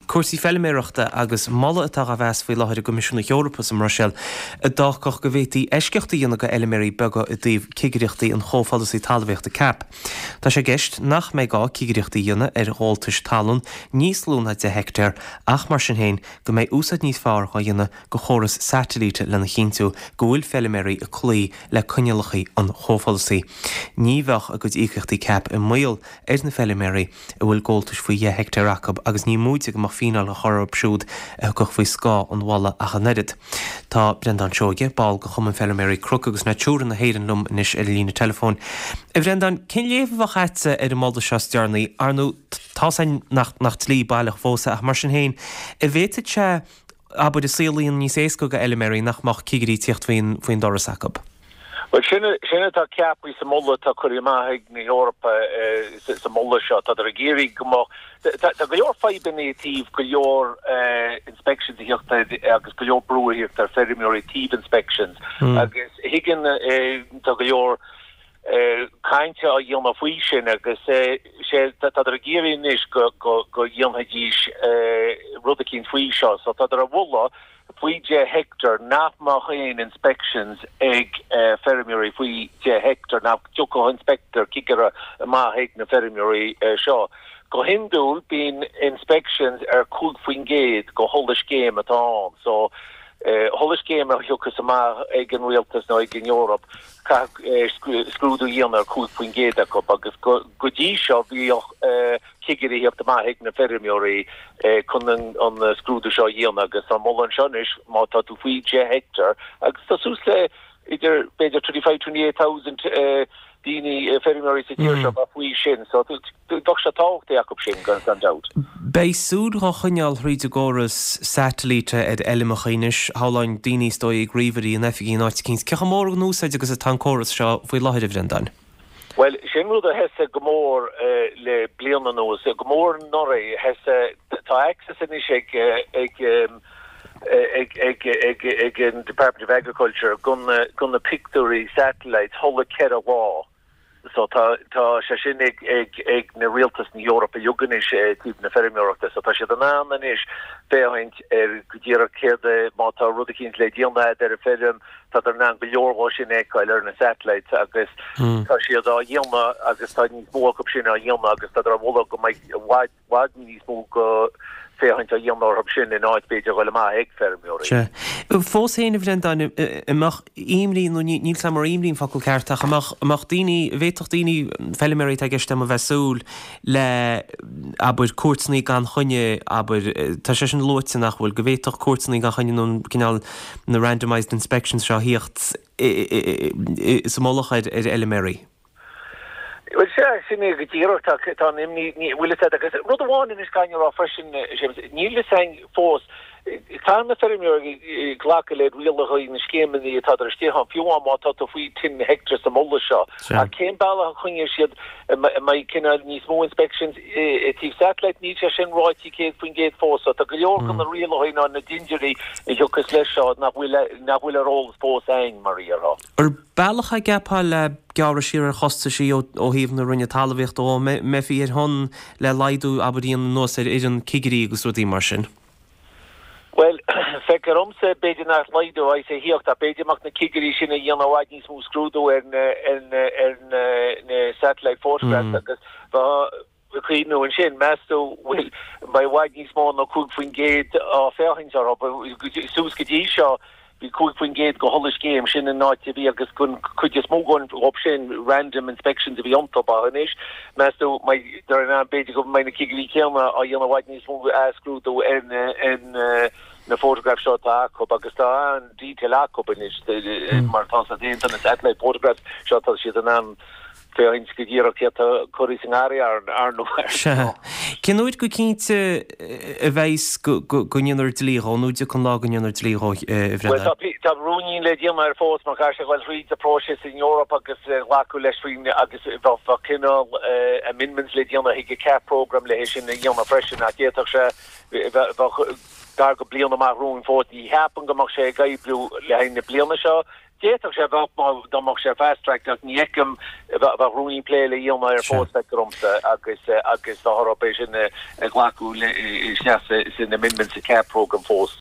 Cúrsaí feiliméarachta agus moladh atá dhá mheas faoi láthair i gCoimisiún na hEorpa sa mBruiséil a d'fhágfadh go bhféadfaí eisceacht a dhéanamh do fheiliméaraí beaga i dtaobh cigireachtaí an chomhpholasaí talmhaíochta cap. Tá sé i gceist nach mbeidh gá cigireachtaí a dhéanamh ar ghabháltais talún níos lú ná 10 heictéar ach mar sin féin go mbeidh úsáid níos fearr dhá dhéanamh de chóras satailíte lena chinntiú go bhfuil feiliméaraí ag cloí le coinníollacha an chomhpholasaí. Ní bheadh a gcuid íocaíochtaí cap i mbaol ar na feiliméaraí. a bhfuil gabháltais faoi dheich heictéar acu agus ní móide go mbeadh fíneáil á chur orthu siúd a thiocfadh faoi scáth an mholadh ach an oiread. Tá Breandán Seoige, ball de Chumann Feilméaraí Cnoc agus Natura na hÉireann liom anois ar an líne teileafóin. A Bhreandáin, cén léamh a bheadh agatsa ar an moladh seo is deireanaí? Ar ndóigh, tá's againn nach nach dlí baileach fós é ach mar sin féin, an bhféadfadh sé, abair, an saol a dhéanamh níos éasca do fheilméaraí nach mbeadh cigirí ag tíocht faoin faoin doras acu? Bhuel, sin, sin atá ceaptha sa moladh atá curtha amach ag na hEorpa sa moladh seo. Tádar ag iarraidh go mbeadh, tá, tá go leor fadhbanna i dtaobh go leor inspections a thíocht ar agus go leor brú a thíocht ar feirmeoirí taobh inspections agus thuigeann, tá go leor cainte á dhéanamh faoi sin agus sé, tádar ag iarraidh anois go, go, go dhéanfaidís rud eicínt faoi seo. So tádar a mholadh faoi 10 heicteár nach mbeadh aon inspections ag feirmeoirí faoi 10 heicteár, nach dtiocfadh inspector, cigire, amach ag na feirmeoirí seo. Go hiondúil bíonn inspections ar 5% go chuile scéim atá ann. So chuile scéim a thiocfas amach ag an rialtas nó ag an Eoraip caithfidh scrúdú a dhéanamh ar 5% acu agus go dtí seo bhíodh cigirí ag tíocht amach ag na feirmeoirí chun an scrúdú seo a dhéanamh agus tá moladh anseo anois má tá tú faoi 10 heicteár agus tá suas le idir b'fhéidir 25, 28,000 daoine, feirmeoirí sa tír seo atá faoi sin so bheadh sé tábhachtach acu sin gan gan dabht. Beidh súil dhá choinneáil thríd an gcóras satailíte ar fheilmeacha anois, shamhlóinn daoine is dóigh ag ríomhairí in oifigí in áit eicínt. Cé chomh mór in úsáid agus atá an córas seo faoi láthair a Bhreandáin? Bhuel, sin rud a thosaigh go mór le bliain anuas, go mór anuraidh. Thosaigh, tá access anois ag, ag, ag, ag, ag, ag an Department of Agriculture go na, go na pictiúirí satellites chuile 4 lá. So tá, tá sé sin ag, ag, ag na rialtas na hEorpa uilig anois i dtaobh na feirmeoireachta. So tá siad in ann anois féachaint ar go díreach céard é, má tá rud eicínt le déanamh a'd ar an feirm, Tádar in ann go leor dhó sin a fheiceáil ar na satellites agus tá siad á dhéanamh agus tá níos mó acu sin á dhéanamh agus tádar á mholadh go mbeidh i bhfad, bhfad níos mó go féachaint á dhéanamh orthu sin in áit b'fhéidir a dhul amach ag feirmeoirí. Sea. Fós féin, a Bhreandáin, an mbeadh imní, nó níl 's agam ar imní an focal ceart, ach an mbeadh, an mbeadh daoine, an bhféadfadh daoine, feilméaraí atá i gceist agam, a bheith ag súil le, abair, cuairteanna gan choinne, abair, tá sé sin luaite nach bhfuil, go bhféadfadh cuairteanna gan choinne nó an cineál, na randomised inspections seo a thíocht sa mullach ar fheilméaraí. Bhuel, sea, sin é go díreach, tá, tá an imní, ní, bhfuil fhios agat, agus rud amháin anois caithfidh mé a rá freisin, Séamus, níl fhios a'inn fós, caithfidh na feirmeoirí glacadh le rialacha na scéimeanna atádar istigh ann, fiú amháin má tá tú faoi ten hectares sa moladh seo. Ach cén bealach a choinneoidh siad, an mbeidh cineál níos mó inspections i dtaobh satellite, níl sé sin ráite 100% fós. So tá go leor de na rialacha ná na dindiúirí a thiocfas leis seo nach bhfuil nach bhfuil ar eolas fós a'inn, mar a déarfá. Ar bealach é, gceapfá, le gearradh siar ar chostaisí ó thaobh na Roinne Talmhaíochta dhó, an mbeifí ar shon le laghdú, abair, a dhéanamh anuas ar fhoireann cigirí agus rudaí mar sin? Bhuel, feictear dhomsa, b'fhéidir nach laghdú a bheas ag thíocht ach b'fhéidir mbeadh na cigirí sin ag dhéanamh i bhfad níos mó scrúdú ar na, ar na, ar na, na satellite photographs agus bheadh ag cuimhniú ansin, meas tú, bhfuil, mbeidh i bhfad níos mó ná 5% á féachaint orthu. Suas go dtí seo, Bhí 5% go chuile scéim, sin an áit a bhí agus gon chuid is mó dhóibh sin random inspections a bhí iontu ach anois meas tú mbeidh in ann b'fhéidir go mbeidh na cigirí céanna á dhéanamh i bhfad níos mó athscrúdú ar na ar na photographs seo atá acu agus tá an-detail acu anois mar tá siad déanta na satellite photographs seo tá siad in ann féachaint go díreach céard atá curtha sa ngarraí ar ndóigh. Sea. Cén uair go cinnte a bheas go ndéanfar dlí dhó, nó an dtiocfaidh an lá go ndéanfar dlí dhó, a Bhreandáin? Bhuel, tá rúinín le déanamh air fós mar chaithfidh sé a ghoil thríd an próiseas in Eoraip agus glacadh leis faoin agus bheadh cineál amendments le déanamh chuig an CAP programme le hé sin a dhéanamh freisin ach d'fhéadfadh sé bheadh gar go bliain amach romhainn fós. Ní cheapaim go mbeadh sé ag oibriú le haghaidh na bliana seo. D'fhéadfadh sé bheadh má dá mbeadh sé fast-tracked ach ní fheicim, bheadh rúnaí plé le dhéanamh air fós, feictear domsa, agus agus bheadh orthu é sin a ghlacadh le isteach san amendment sa CAP programme fós.